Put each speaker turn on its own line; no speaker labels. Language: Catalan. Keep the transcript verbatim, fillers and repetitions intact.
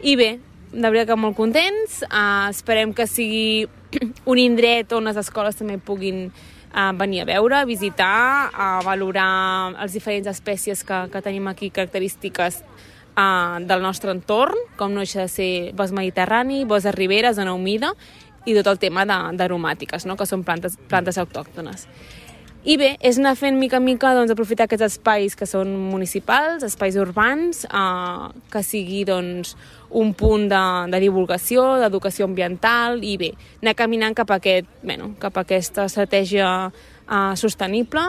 I bé, de veritat que molt contents, uh, esperem que sigui un indret on les escoles també puguin uh, venir a veure, a visitar, a valorar les diferents espècies que, que tenim aquí, característiques uh, del nostre entorn, com no deixa de ser bosc mediterrani, bosc de ribera, zona humida, i tot el tema d'aromàtiques, no? Que són plantes, plantes autòctones. I bé, és anar fent mica en mica doncs, aprofitar aquests espais que són municipals, espais urbans, eh, que sigui doncs, un punt de, de divulgació, d'educació ambiental i bé, anar caminant cap a, aquest, bueno, cap a aquesta estratègia eh, sostenible